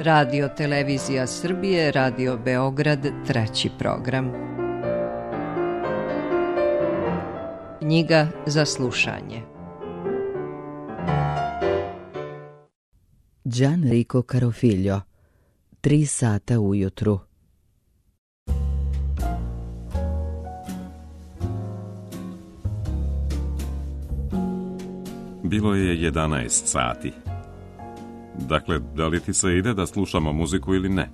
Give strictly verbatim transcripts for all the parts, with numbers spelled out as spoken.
Radio Televizija Srbije, Radio Beograd, treći program. Knjiga za slušanje. Gianrico Carofiglio, Tri sata ujutru. Bilo je jedanaest sati. Dakle, da li ti se ide da slušamo muziku ili ne?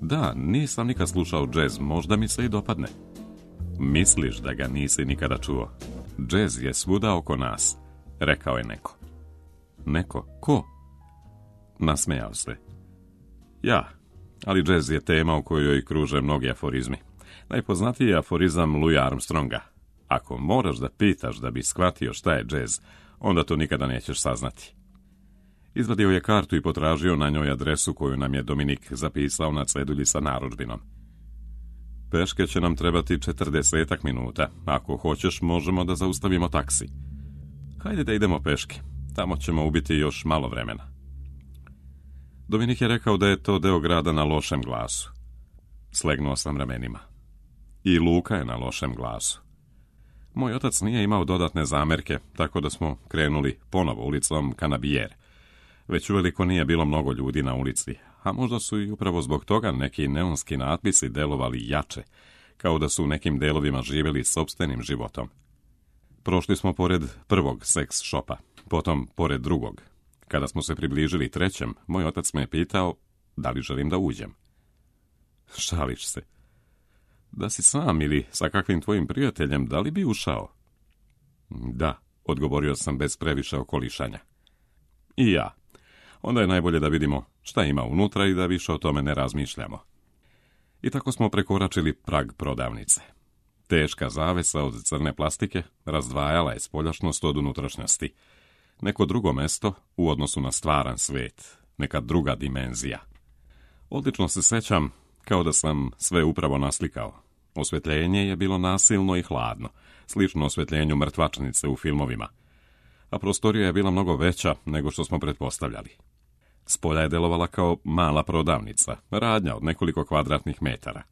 Da, nisam nikad slušao džez, možda mi se i dopadne. Misliš da ga nisi nikada čuo? Džez je svuda oko nas, rekao je neko. Neko? Ko? Nasmejao se. Ja, ali džez je tema u kojoj kruže mnogi aforizmi. Najpoznatiji je aforizam Louis Armstronga. Ako moraš da pitaš da bi shvatio šta je džez, onda to nikada nećeš saznati. Izvadio je kartu i potražio na njoj adresu koju nam je Dominik zapisao na cedulji sa narudžbinom. Peške će nam trebati četrdesetak minuta. Ako hoćeš, možemo da zaustavimo taksi. Hajde da idemo peške. Tamo ćemo ubiti još malo vremena. Dominik je rekao da je to deo grada na lošem glasu. Slegnuo sam ramenima. I Luka je na lošem glasu. Moj otac nije imao dodatne zamerke, tako da smo krenuli ponovo ulicom Canabijere. Već uveliko nije bilo mnogo ljudi na ulici, a možda su i upravo zbog toga neki neonski natpisi delovali jače, kao da su u nekim delovima živjeli sopstvenim životom. Prošli smo pored prvog seks šopa, potom pored drugog. Kada smo se približili trećem, moj otac me je pitao da li želim da uđem. Šališ se. Da si sam ili sa kakvim tvojim prijateljem, da li bi ušao? Da, odgovorio sam bez previše okolišanja. I ja. Onda je najbolje da vidimo šta ima unutra i da više o tome ne razmišljamo. I tako smo prekoračili prag prodavnice. Teška zavesa od crne plastike razdvajala je spoljašnost od unutrašnjosti. Neko drugo mesto u odnosu na stvaran svet, neka druga dimenzija. Odlično se sećam kao da sam sve upravo naslikao. Osvetljenje je bilo nasilno i hladno, slično osvetljenju mrtvačnice u filmovima. A prostorija je bila mnogo veća nego što smo pretpostavljali. Spolja je delovala kao mala prodavnica, radnja od nekoliko kvadratnih metara.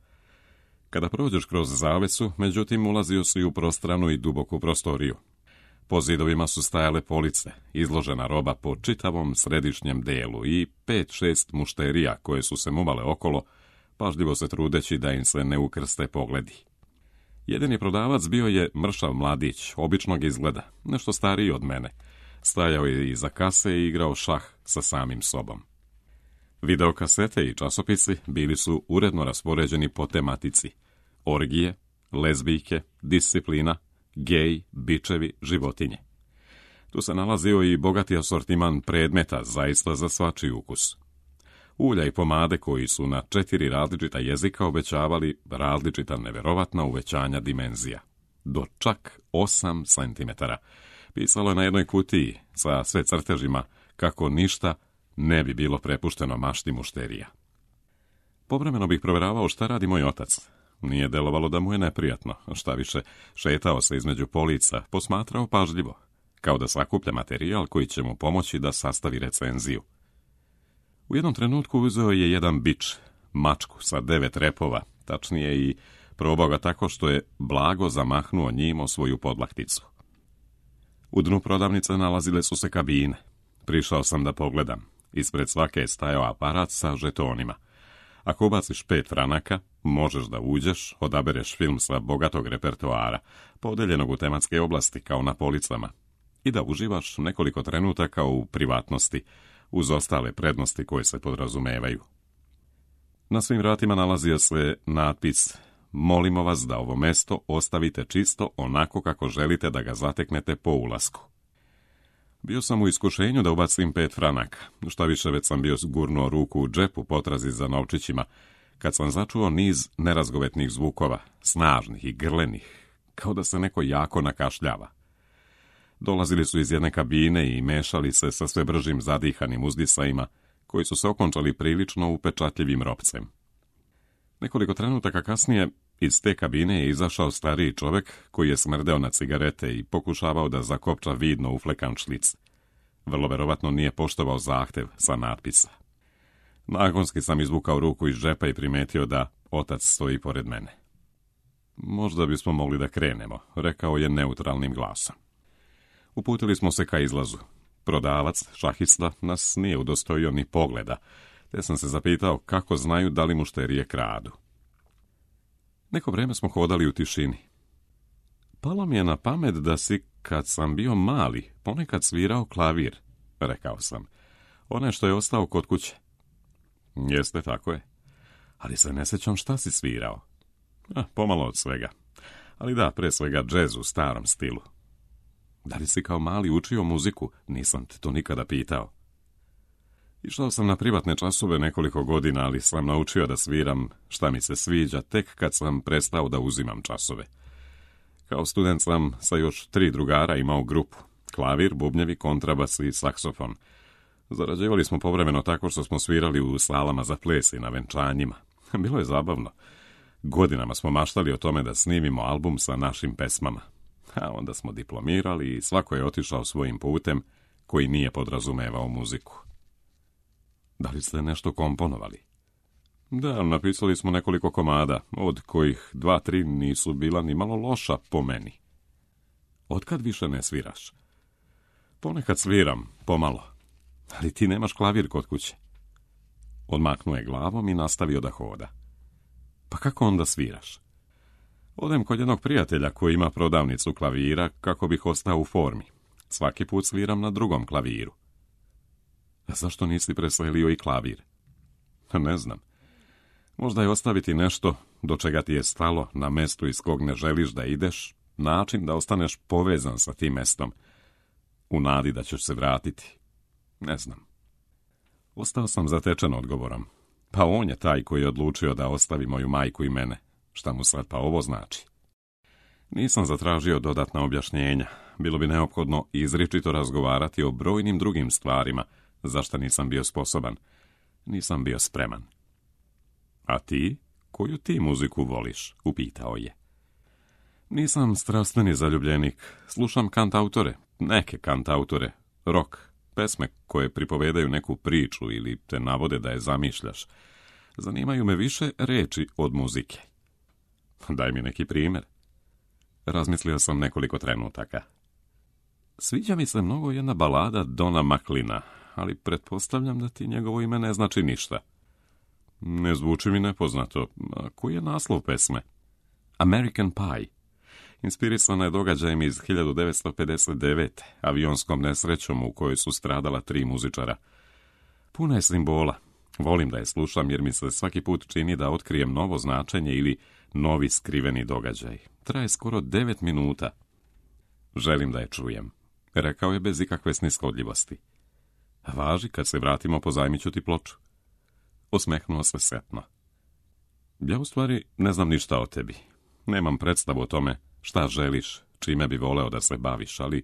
Kada prođeš kroz zavesu, međutim, ulazio si u prostranu i duboku prostoriju. Po zidovima su stajale police, izložena roba po čitavom središnjem delu i pet, šest mušterija koje su se muvale okolo, pažljivo se trudeći da im se ne ukrste pogledi. Jedini prodavac bio je mršav mladić, običnog izgleda, nešto stariji od mene. Stajao je iza kase i igrao šah sa samim sobom. Videokasete i časopisi bili su uredno raspoređeni po tematici: orgije, lezbijke, disciplina, gej, bičevi, životinje. Tu se nalazio i bogati asortiman predmeta, zaista za svačiji ukus. Ulja i pomade koji su na četiri različita jezika obećavali različita neverovatna uvećanja dimenzija. Do čak osam centimetara. Pisalo je na jednoj kutiji sa sve crtežima kako ništa ne bi bilo prepušteno mašti mušterija. Povremeno bih proveravao šta radi moj otac. Nije delovalo da mu je neprijatno, šta više, šetao se između polica, posmatrao pažljivo, kao da sakuplja materijal koji će mu pomoći da sastavi recenziju. U jednom trenutku uzeo je jedan bič, mačku sa devet repova, tačnije i probao ga tako što je blago zamahnuo njim o svoju podlakticu. U dnu prodavnice nalazile su se kabine. Prišao sam da pogledam. Ispred svake je stajao aparat sa žetonima. Ako ubaciš pet franaka, možeš da uđeš, odabereš film sa bogatog repertoara, podeljenog u tematske oblasti kao na policama, i da uživaš nekoliko trenutaka u privatnosti, uz ostale prednosti koje se podrazumevaju. Na svim vratima nalazio se natpis: molimo vas da ovo mesto ostavite čisto onako kako želite da ga zateknete po ulasku. Bio sam u iskušenju da ubacim pet franaka, šta više već sam bio gurnuo ruku u džep u potrazi za novčićima, kad sam začuo niz nerazgovetnih zvukova, snažnih i grlenih, kao da se neko jako nakašljava. Dolazili su iz jedne kabine i mešali se sa sve bržim zadihanim uzdisajima, koji su se okončali prilično upečatljivim ropcem. Nekoliko trenutaka kasnije iz te kabine je izašao stariji čovek koji je smrdeo na cigarete i pokušavao da zakopča vidno uflekan šlic. Vrlo verovatno nije poštovao zahtev sa natpisa. Nagonski sam izvukao ruku iz džepa i primetio da otac stoji pored mene. Možda bismo mogli da krenemo, rekao je neutralnim glasom. Uputili smo se ka izlazu. Prodavac, šahista, nas nije udostojio ni pogleda, te sam se zapitao kako znaju da li mušterije kradu. Neko vreme smo hodali u tišini. Palo mi je na pamet da si, kad sam bio mali, ponekad svirao klavir, rekao sam. Onaj što je ostao kod kuće. Jeste, tako je. Ali se ne sjećam šta si svirao. Ah, pomalo od svega. Ali da, pre svega džez u starom stilu. Da li si kao mali učio muziku? Nisam te to nikada pitao. Išao sam na privatne časove nekoliko godina, ali sam naučio da sviram šta mi se sviđa tek kad sam prestao da uzimam časove. Kao student sam sa još tri drugara imao grupu. Klavir, bubnjevi, kontrabas i saksofon. Zarađivali smo povremeno tako što smo svirali u salama za ples i na venčanjima. Bilo je zabavno. Godinama smo maštali o tome da snimimo album sa našim pesmama. A onda smo diplomirali i svako je otišao svojim putem koji nije podrazumevao muziku. Da li ste nešto komponovali? Da, napisali smo nekoliko komada, od kojih dva, tri nisu bila ni malo loša po meni. Otkad više ne sviraš? Ponekad sviram, pomalo. Ali ti nemaš klavir kod kuće. Odmaknuo je glavom i nastavio da hoda. Pa kako onda sviraš? Odem kod jednog prijatelja koji ima prodavnicu klavira kako bih ostao u formi. Svaki put sviram na drugom klaviru. A zašto nisi preselio i klavir? Ne znam. Možda je ostaviti nešto do čega ti je stalo na mestu iz kog ne želiš da ideš, način da ostaneš povezan sa tim mestom, u nadi da ćeš se vratiti. Ne znam. Ostao sam zatečen odgovorom. Pa on je taj koji je odlučio da ostavi moju majku i mene. Šta mu sad pa ovo znači? Nisam zatražio dodatna objašnjenja. Bilo bi neophodno izričito razgovarati o brojnim drugim stvarima, za šta nisam bio sposoban. Nisam bio spreman. A ti? Koju ti muziku voliš? Upitao je. Nisam strastveni zaljubljenik. Slušam kantautore, neke kantautore, rock, pesme koje pripovedaju neku priču ili te navode da je zamišljaš. Zanimaju me više reči od muzike. Daj mi neki primjer. Razmislio sam nekoliko trenutaka. Sviđa mi se mnogo jedna balada Dona McLeana, ali pretpostavljam da ti njegovo ime ne znači ništa. Ne zvuči mi nepoznato. A koji je naslov pesme? American Pie. Inspirisana je događajem iz hiljadu devetsto pedeset devete. avionskom nesrećom u kojoj su stradala tri muzičara. Puna je simbola. Volim da je slušam jer mi se svaki put čini da otkrijem novo značenje ili novi skriveni događaj. Traje skoro devet minuta. Želim da je čujem, rekao je bez ikakve sniskodljivosti. Važi, kad se vratimo pozajmit ću ti ploču. Osmehnuo se setno. Ja u stvari ne znam ništa o tebi. Nemam predstavu o tome šta želiš, čime bi voleo da se baviš, ali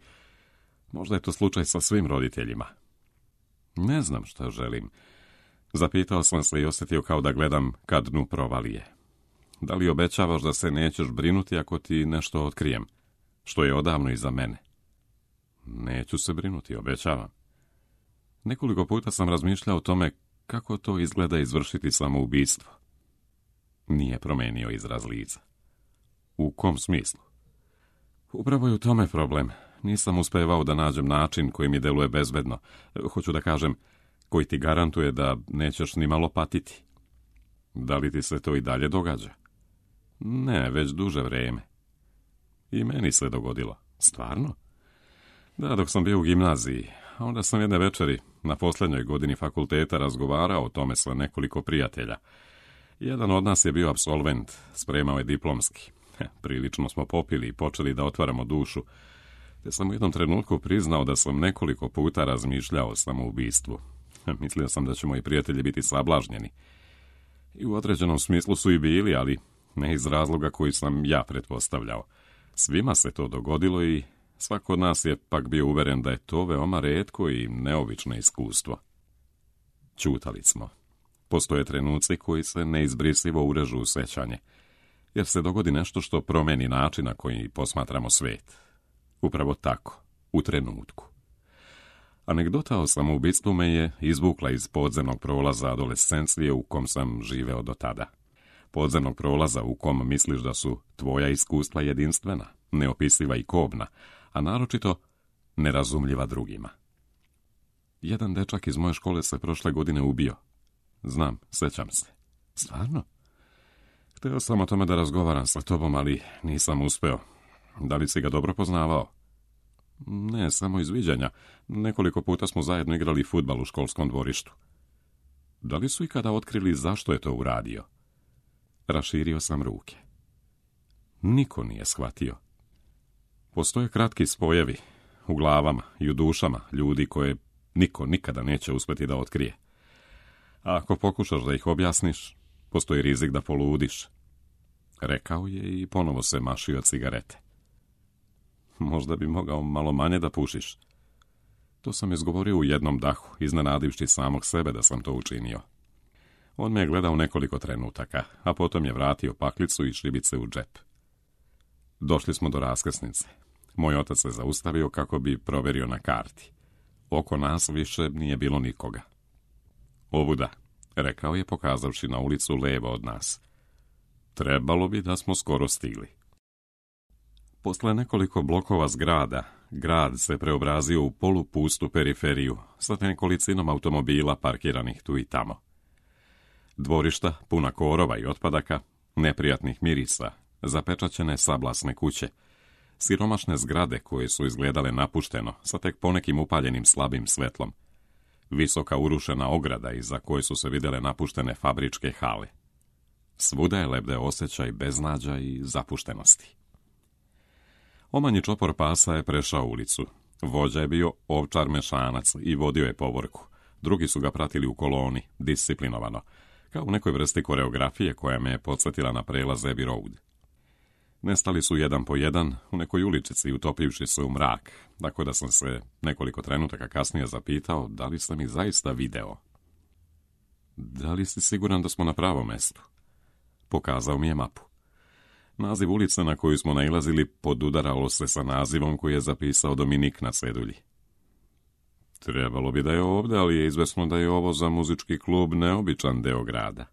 možda je to slučaj sa svim roditeljima. Ne znam šta želim. Zapitao sam se i osjetio kao da gledam ka dnu provalije. Da li obećavaš da se nećeš brinuti ako ti nešto otkrijem, što je odavno iza mene? Neću se brinuti, obećavam. Nekoliko puta sam razmišljao o tome kako to izgleda izvršiti samoubistvo. Nije promenio izraz lica. U kom smislu? Upravo je u tome problem. Nisam uspevao da nađem način koji mi deluje bezbedno. Hoću da kažem, koji ti garantuje da nećeš ni malo patiti. Da li ti se to i dalje događa? Ne, već duže vreme. I meni se dogodilo. Stvarno? Da, dok sam bio u gimnaziji. A onda sam jedne večeri na posljednjoj godini fakulteta razgovarao o tome sa nekoliko prijatelja. Jedan od nas je bio apsolvent, spremao je diplomski. Prilično smo popili i počeli da otvaramo dušu, te sam u jednom trenutku priznao da sam nekoliko puta razmišljao o samoubistvu. Mislio sam da će moji prijatelji biti sablažnjeni. I u određenom smislu su i bili, ali ne iz razloga koji sam ja pretpostavljao. Svima se to dogodilo i svako od nas je pak bio uveren da je to veoma retko i neobično iskustvo. Ćutali smo. Postoje trenuci koji se neizbrisivo urežu u sećanje, jer se dogodi nešto što promeni način na koji posmatramo svet. Upravo tako, u trenutku. Anegdota o samoubistvu me je izvukla iz podzemnog prolaza adolescencije u kom sam živeo do tada. Podzemnog prolaza u kom misliš da su tvoja iskustva jedinstvena, neopisiva i kobna, a naročito nerazumljiva drugima. Jedan dečak iz moje škole se prošle godine ubio. Znam, sećam se. Stvarno? Hteo sam o tome da razgovaram sa tobom, ali nisam uspeo. Da li si ga dobro poznavao? Ne, samo iz viđenja. Nekoliko puta smo zajedno igrali fudbal u školskom dvorištu. Da li su ikada otkrili zašto je to uradio? Raširio sam ruke. Niko nije shvatio. Postoje kratki spojevi u glavama i u dušama ljudi koje niko nikada neće uspjeti da otkrije. A ako pokušaš da ih objasniš, postoji rizik da poludiš. Rekao je i ponovo se mašio cigarete. Možda bi mogao malo manje da pušiš. To sam izgovorio u jednom dahu, iznenadivši samog sebe da sam to učinio. On me je gledao nekoliko trenutaka, a potom je vratio paklicu i šribice u džep. Došli smo do raskrsnice. Moj otac se zaustavio kako bi proverio na karti. Oko nas više nije bilo nikoga. Ovuda, rekao je pokazavši na ulicu levo od nas. Trebalo bi da smo skoro stigli. Posle nekoliko blokova zgrada, grad se preobrazio u polupustu periferiju sa nekolicinom automobila parkiranih tu i tamo. Dvorišta, puna korova i otpadaka, neprijatnih mirisa, zapečaćene sablasne kuće, siromašne zgrade koje su izgledale napušteno sa tek ponekim upaljenim slabim svetlom, visoka urušena ograda iza koje su se vidjele napuštene fabričke hale. Svuda je lebdeo osjećaj beznađa i zapuštenosti. Omanji čopor pasa je prešao ulicu. Vođa je bio ovčar mešanac i vodio je povorku. Drugi su ga pratili u koloni, disciplinovano, kao u nekoj vrsti koreografije koja me je podsjetila na prelaz Abbey Road. Nestali su jedan po jedan u nekoj uličici, utopivši se u mrak, tako da sam se nekoliko trenutaka kasnije zapitao da li sam ih zaista video. Da li si siguran da smo na pravom mestu? Pokazao mi je mapu. Naziv ulice na koju smo nailazili podudaralo se sa nazivom koji je zapisao Dominik na cedulji. Trebalo bi da je ovdje, ali je izvesno da je ovo za muzički klub neobičan deo grada.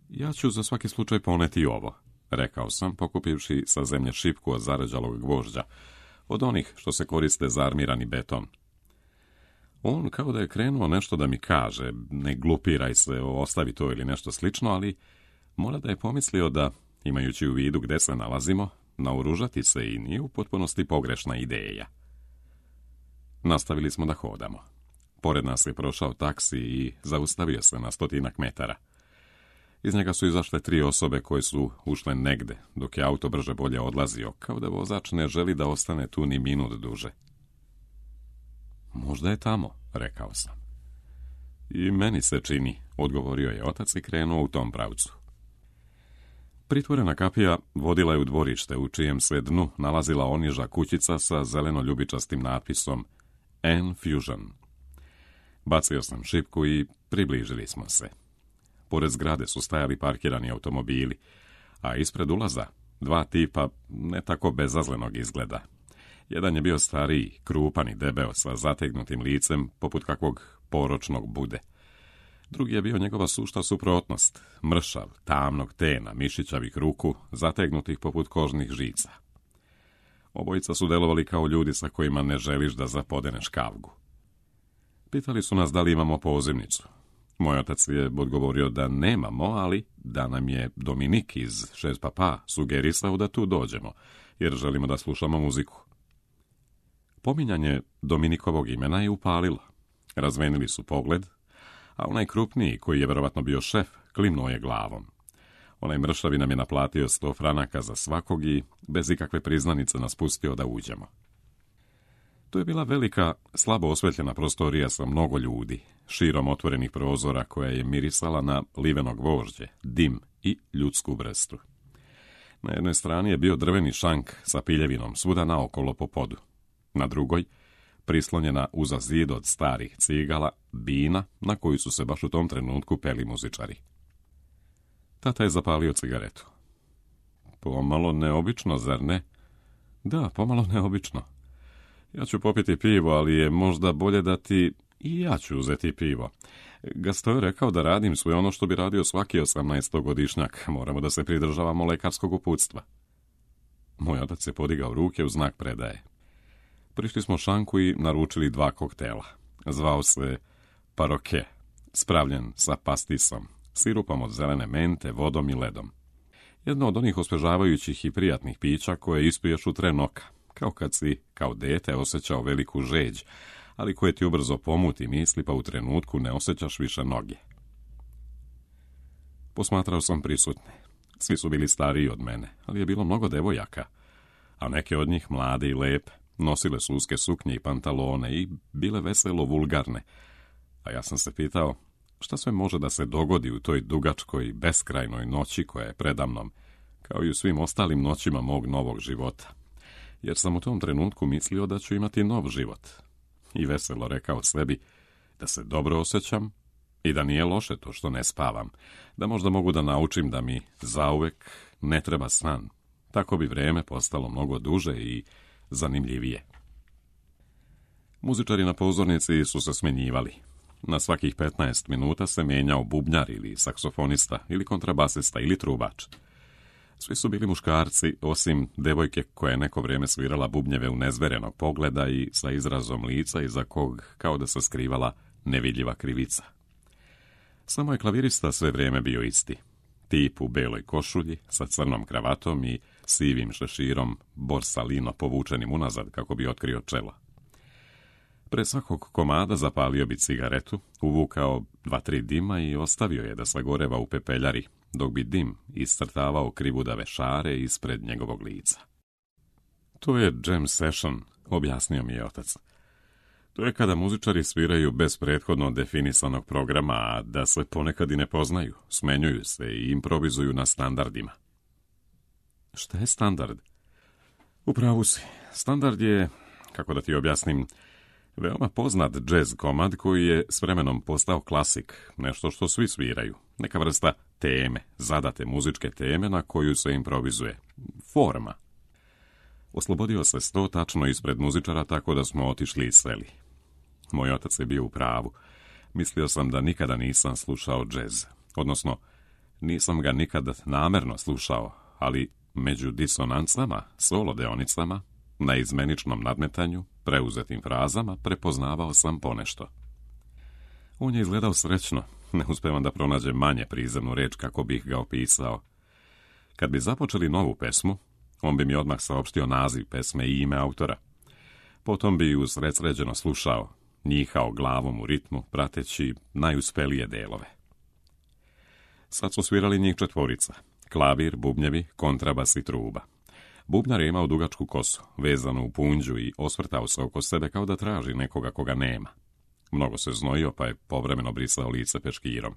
Ja ću za svaki slučaj poneti ovo, rekao sam, pokupivši sa zemlje šipku od zarađalog gvožđa, od onih što se koriste za armirani beton. On kao da je krenuo nešto da mi kaže, ne glupiraj se, ostavi to ili nešto slično, ali mora da je pomislio da, imajući u vidu gde se nalazimo, naoružati se i nije u potpunosti pogrešna ideja. Nastavili smo da hodamo. Pored nas je prošao taksi i zaustavio se na stotinak metara. Iz njega su izašle tri osobe koje su ušle negde, dok je auto brže bolje odlazio, kao da vozač ne želi da ostane tu ni minut duže. Možda je tamo, rekao sam. I meni se čini, odgovorio je otac i krenuo u tom pravcu. Pritvorena kapija vodila je u dvorište, u čijem se dnu nalazila oniža kućica sa zeleno-ljubičastim natpisom N-Fusion. Bacio sam šipku i približili smo se. Pored zgrade su stajali parkirani automobili, a ispred ulaza dva tipa ne tako bezazlenog izgleda. Jedan je bio stariji, krupan i debeo sa zategnutim licem poput kakvog poročnog bude. Drugi je bio njegova sušta suprotnost, mršav, tamnog tena, mišićavih ruku, zategnutih poput kožnih žica. Obojica su delovali kao ljudi sa kojima ne želiš da zapodeneš kavgu. Pitali su nas da li imamo pozivnicu. Moj otac je odgovorio da nemamo, ali da nam je Dominik iz Šest papa sugerisao da tu dođemo, jer želimo da slušamo muziku. Pominjanje Dominikovog imena je upalilo. Razvenili su pogled, a onaj krupniji, koji je verovatno bio šef, klimnuo je glavom. Onaj mršavi nam je naplatio sto franaka za svakog i bez ikakve priznanice nas pustio da uđemo. To je bila velika, slabo osvetljena prostorija sa mnogo ljudi, širom otvorenih prozora koja je mirisala na liveno gvožđe, dim i ljudsku vrstu. Na jednoj strani je bio drveni šank sa piljevinom svuda naokolo po podu. Na drugoj, prislonjena uza zid od starih cigala, bina na koju su se baš u tom trenutku peli muzičari. Tata je zapalio cigaretu. Pomalo neobično, zar ne? Da, pomalo neobično. Ja ću popiti pivo, ali je možda bolje da ti... I ja ću uzeti pivo. Gasto je rekao da radim sve ono što bi radio svaki osamnaestogodišnjak. Moramo da se pridržavamo lekarskog uputstva. Moj otac je podigao ruke u znak predaje. Prišli smo šanku i naručili dva koktela. Zvao se Paroke, spravljen sa pastisom, sirupom od zelene mente, vodom i ledom. Jedno od onih osvežavajućih i prijatnih pića koje ispiješ u tren oka, kao kad si, kao dete, osjećao veliku žeđ, ali koje ti ubrzo pomuti misli, pa u trenutku ne osjećaš više noge. Posmatrao sam prisutne. Svi su bili stariji od mene, ali je bilo mnogo devojaka, a neke od njih mlade i lepe. Nosile su uske suknje i pantalone i bile veselo vulgarne. A ja sam se pitao, šta sve može da se dogodi u toj dugačkoj, beskrajnoj noći koja je predamnom, kao i u svim ostalim noćima mog novog života. Jer sam u tom trenutku mislio da ću imati nov život. I veselo rekao sebi da se dobro osjećam i da nije loše to što ne spavam, da možda mogu da naučim da mi zauvek ne treba san. Tako bi vreme postalo mnogo duže i zanimljivije. Muzičari na pozornici su se smenjivali. Na svakih petnaest minuta se menjao bubnjar ili saksofonista ili kontrabasista ili trubač. Svi su bili muškarci, osim devojke koja je neko vrijeme svirala bubnjeve u nezverenog pogleda i sa izrazom lica iza kog kao da se skrivala nevidljiva krivica. Samo je klavirista sve vrijeme bio isti. Tip u beloj košulji, sa crnom kravatom i sivim šeširom borsalino povučenim unazad kako bi otkrio čelo. Pre svakog komada zapalio bi cigaretu, uvukao dva, tri dima i ostavio je da sagoreva u pepeljari, dok bi dim iscrtavao krivudave šare ispred njegovog lica. To je jam session, objasnio mi je otac. To je kada muzičari sviraju bez prethodno definisanog programa, a da se ponekad i ne poznaju, smenjuju se i improvizuju na standardima. Šta je standard? Upravo si. Standard je, kako da ti objasnim, veoma poznat džez komad koji je s vremenom postao klasik, nešto što svi sviraju, neka vrsta teme, zadate muzičke teme na koju se improvizuje. Forma. Oslobodio se sto tačno ispred muzičara tako da smo otišli i seli. Moj otac je bio u pravu. Mislio sam da nikada nisam slušao džez, odnosno nisam ga nikada namerno slušao, ali među disonancama, solo deonicama, na izmeničnom nadmetanju, preuzetim frazama, prepoznavao sam ponešto. On je izgledao srećno, ne uspevam da pronađem manje prizemnu reč kako bih ga opisao. Kad bi započeli novu pesmu, on bi mi odmah saopštio naziv pesme i ime autora. Potom bi ju sredsređeno slušao, njihao glavom u ritmu, prateći najuspelije delove. Sad su svirali njih četvorica, klavir, bubnjevi, kontrabas i truba. Bubnjar je imao dugačku kosu, vezanu u punđu i osvrtao se oko sebe kao da traži nekoga koga nema. Mnogo se znojio, pa je povremeno brisao lice peškirom.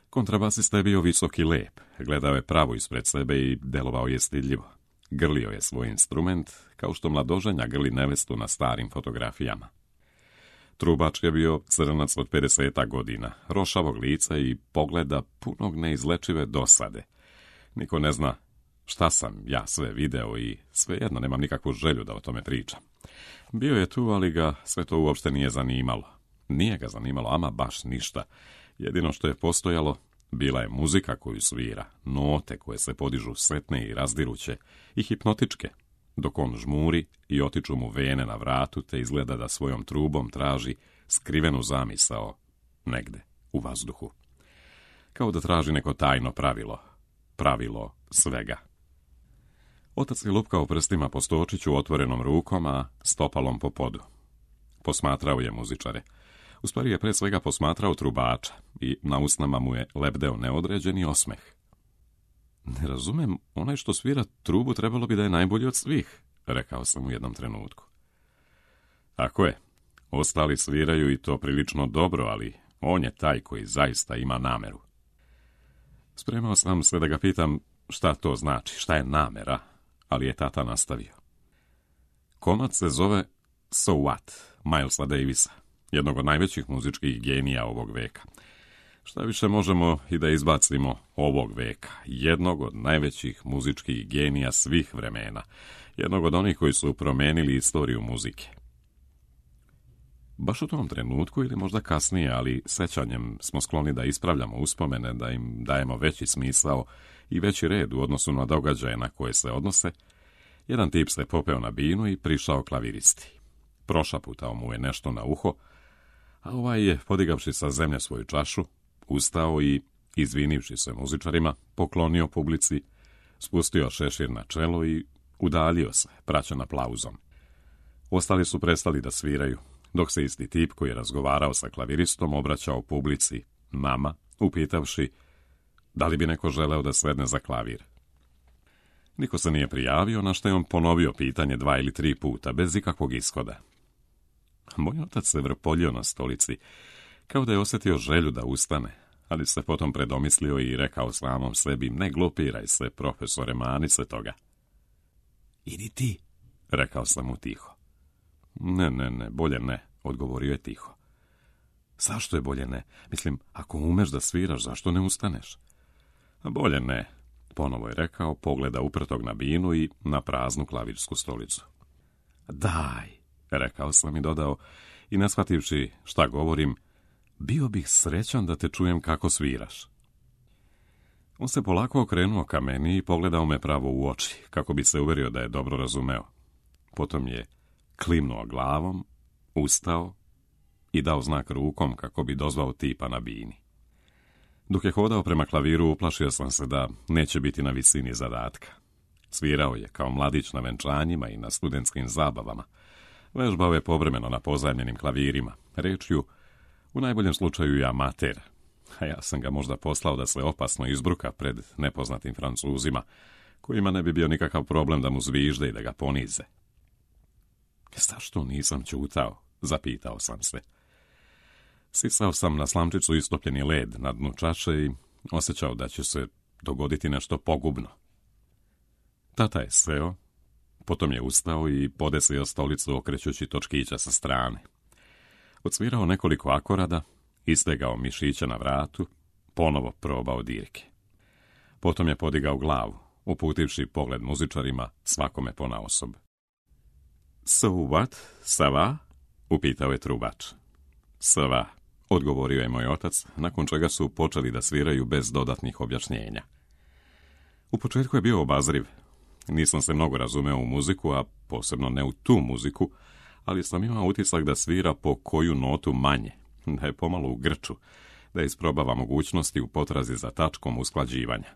Kontrabasista je bio visok i lep, gledao je pravo ispred sebe i delovao je stidljivo. Grlio je svoj instrument, kao što mladoženja grli nevestu na starim fotografijama. Trubač je bio crnac od pedeseta godina, rošavog lica i pogleda punog neizlečive dosade. Niko ne zna šta sam ja sve video i svejedno nemam nikakvu želju da o tome pričam. Bio je tu, ali ga sve to uopšte nije zanimalo. Nije ga zanimalo ama baš ništa. Jedino što je postojalo, bila je muzika koju svira, note koje se podižu setne i razdiruće i hipnotičke, dok on žmuri i otiču mu vene na vratu, te izgleda da svojom trubom traži skrivenu zamisao negde u vazduhu. Kao da traži neko tajno pravilo, pravilo svega. Otac je lupkao prstima po stočiću otvorenom rukom, a stopalom po podu. Posmatrao je muzičare. U stvari je pre svega posmatrao trubača i na usnama mu je lebdeo neodređeni osmeh. Ne razumem, onaj što svira trubu trebalo bi da je najbolji od svih, rekao sam u jednom trenutku. Tako je, ostali sviraju i to prilično dobro, ali on je taj koji zaista ima nameru. Spremao sam se da ga pitam šta to znači, šta je namera, ali je tata nastavio. Komad se zove So What, Milesa Davisa, jednog od najvećih muzičkih genija ovog veka. Šta više, možemo i da izbacimo ovog veka, jednog od najvećih muzičkih genija svih vremena, jednog od onih koji su promenili istoriju muzike. Baš u tom trenutku ili možda kasnije, ali sećanjem smo skloni da ispravljamo uspomene, da im dajemo veći smisao i veći red u odnosu na događaje na koje se odnose, jedan tip se popeo na binu i prišao klaviristi. Prošaputao mu je nešto na uho, a ovaj je, podigavši sa zemlje svoju čašu, ustao i, izvinivši se muzičarima, poklonio publici, spustio šešir na čelo i udaljio se, praćen aplauzom. Ostali su prestali da sviraju, dok se isti tip koji je razgovarao sa klaviristom obraćao publici, nama, upitavši da li bi neko želeo da sedne za klavir. Niko se nije prijavio, na što je on ponovio pitanje dva ili tri puta, bez ikakvog ishoda. Moj otac se vrpoljio na stolici, kao da je osjetio želju da ustane, ali se potom predomislio i rekao samom sebi, ne glupiraj se, profesore, mani se toga. Idi ti, rekao sam mu tiho. Ne, ne, ne, bolje ne, odgovorio je tiho. Zašto je bolje ne? Mislim, ako umeš da sviraš, zašto ne ustaneš? Bolje ne, ponovo je rekao, pogleda uprtog na binu i na praznu klavirsku stolicu. Daj, rekao sam i dodao, i ne shvativši šta govorim, bio bih srećan da te čujem kako sviraš. On se polako okrenuo ka meni i pogledao me pravo u oči, kako bi se uverio da je dobro razumeo. Potom je klimnuo glavom, ustao i dao znak rukom kako bi dozvao tipa na bini. Dok je hodao prema klaviru, uplašio sam se da neće biti na visini zadatka. Svirao je kao mladić na venčanjima i na studentskim zabavama. Vežbao je povremeno na pozajmljenim klavirima, rečju, u najboljem slučaju je amater, a ja sam ga možda poslao da se opasno izbruka pred nepoznatim Francuzima, kojima ne bi bio nikakav problem da mu zvižde i da ga ponize. Zašto nisam ćutao? Zapitao sam se. Sisao sam na slamčicu istopljeni led na dnu čaše i osjećao da će se dogoditi nešto pogubno. Tata je seo, potom je ustao i podesio stolicu okrećući točkića sa strane. Odsvirao nekoliko akorada, istegao mišića na vratu, ponovo probao dirke. Potom je podigao glavu, uputivši pogled muzičarima, svakome ponaosob. So what? Ça va? Upitao je trubač. Ça va, odgovorio je moj otac, nakon čega su počeli da sviraju bez dodatnih objašnjenja. U početku je bio obazriv. Nisam se mnogo razumeo u muziku, a posebno ne u tu muziku, ali sam imao utisak da svira po koju notu manje, da je pomalo u grču, da isprobava mogućnosti u potrazi za tačkom usklađivanja,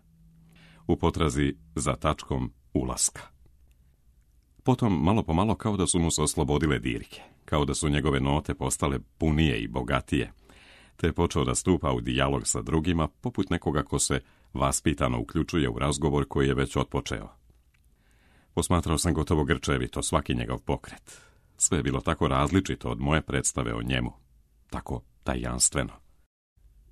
u potrazi za tačkom ulaska. Potom, malo po malo, kao da su mu se oslobodile dirke, kao da su njegove note postale punije i bogatije, te je počeo da stupa u dijalog sa drugima, poput nekoga ko se vaspitano uključuje u razgovor koji je već otpočeo. Posmatrao sam gotovo grčevito svaki njegov pokret. Sve je bilo tako različito od moje predstave o njemu, tako tajanstveno.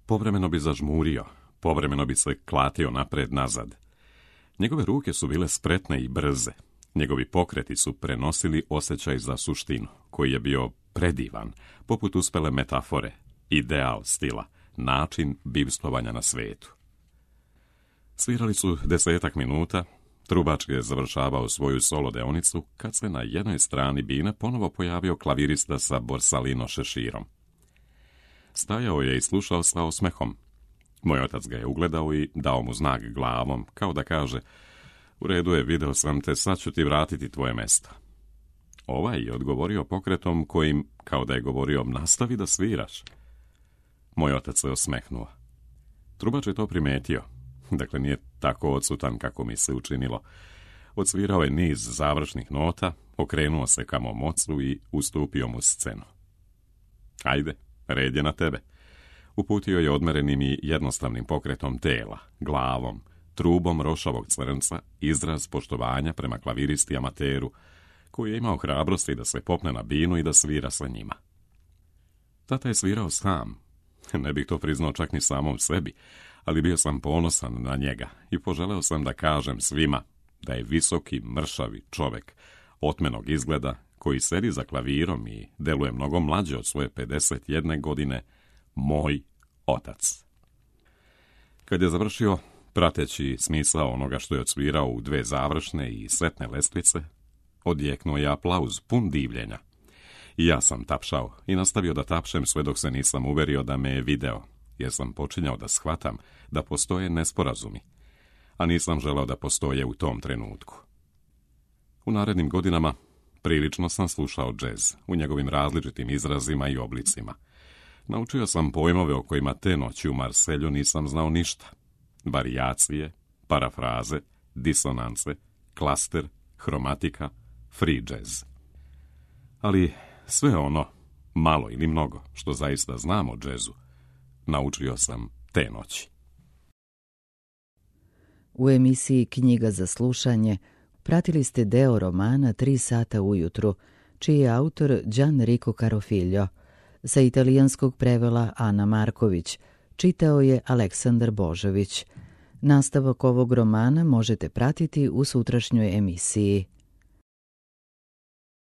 Povremeno bi zažmurio, povremeno bi se klatio napred-nazad. Njegove ruke su bile spretne i brze. Njegovi pokreti su prenosili osjećaj za suštinu, koji je bio predivan, poput uspele metafore, ideal stila, način bivstvovanja na svetu. Svirali su desetak minuta, trubač je završavao svoju solo deonicu, kad se na jednoj strani bine ponovo pojavio klavirista sa borsalino šeširom. Stajao je i slušao sa osmehom. Moj otac ga je ugledao i dao mu znak glavom, kao da kaže, u redu je, video sam te, sad ću ti vratiti tvoje mesto. Ovaj je odgovorio pokretom kojim, kao da je govorio, nastavi da sviraš. Moj otac se osmehnuo. Trubač je to primetio. Dakle, nije tako odsutan kako mi se učinilo. Odsvirao je niz završnih nota, okrenuo se ka mom ocu i ustupio mu scenu. Ajde, red je na tebe. Uputio je odmerenim i jednostavnim pokretom tela, glavom, trubom rošavog crnca, izraz poštovanja prema klaviristi amateru, koji je imao hrabrosti da se popne na binu i da svira sa njima. Tata je svirao sam. Ne bih to priznao čak ni samom sebi, ali bio sam ponosan na njega i poželeo sam da kažem svima da je visoki, mršavi čovek, otmenog izgleda, koji sedi za klavirom i deluje mnogo mlađe od svoje pedeset jedne godine, moj otac. Kad je završio, prateći smisao onoga što je odsvirao u dve završne i sretne lestvice, odjeknuo je aplauz pun divljenja. I ja sam tapšao i nastavio da tapšem sve dok se nisam uverio da me je video, jer sam počinjao da shvatam da postoje nesporazumi, a nisam želeo da postoje u tom trenutku. U narednim godinama prilično sam slušao džez u njegovim različitim izrazima i oblicima. Naučio sam pojmove o kojima te noći u Marselju nisam znao ništa. Varijacije, parafraze, disonance, klaster, hromatika, free jazz. Ali sve ono, malo ili mnogo, što zaista znam o džezu, naučio sam te noći. U emisiji Knjiga za slušanje pratili ste deo romana Tri sata ujutru, čiji je autor Gianrico Carofiglio. Sa italijanskog prevela Ana Marković, čitao je Aleksandar Božović. Nastavak ovog romana možete pratiti u sutrašnjoj emisiji.